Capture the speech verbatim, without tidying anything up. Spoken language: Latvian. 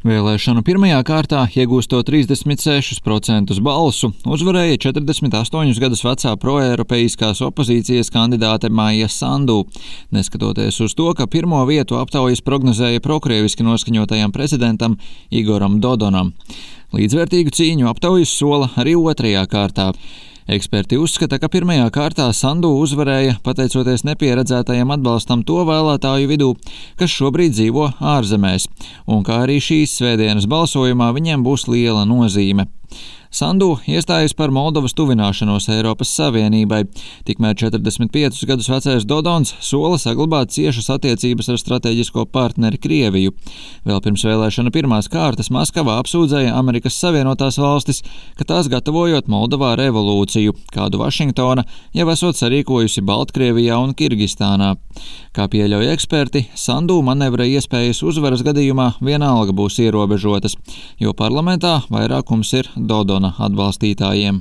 Vēlēšanu pirmajā kārtā, iegūstot trīsdesmit sešus procentus balsu, uzvarēja četrdesmit astoņus gadus vecā proeiropeiskās opozīcijas kandidāte Maija Sandu, neskatoties uz to, ka pirmo vietu aptaujas prognozēja prokrieviski noskaņotajam prezidentam Igoram Dodonam. Līdzvērtīgu cīņu aptaujas sola arī otrajā kārtā. Eksperti uzskata, ka pirmajā kārtā Sandu uzvarēja pateicoties nepieredzētajam atbalstam to vēlētāju vidū, kas šobrīd dzīvo ārzemēs, un kā arī šīs svētdienas balsojumā viņiem būs liela nozīme. Sandu iestājas par Moldovas tuvināšanos Eiropas Savienībai, tikmēr četrdesmit piecus gadus vecais Dodons sola saglabāt ciešas attiecības ar strateģisko partneri Krieviju. Vēl pirms vēlēšana pirmās kārtas Maskavā apsūdzēja Amerikas Savienotās valstis, ka tās gatavojot Moldovā revolūciju, kādu Vašingtona jau esot sarīkojusi Baltkrievijā un Kirgistānā. Kā pieļauj eksperti, Sandu manevra iespējas uzvaras gadījumā vienalga būs ierobežotas, jo parlamentā vairākums ir Dodona atbalstītājiem.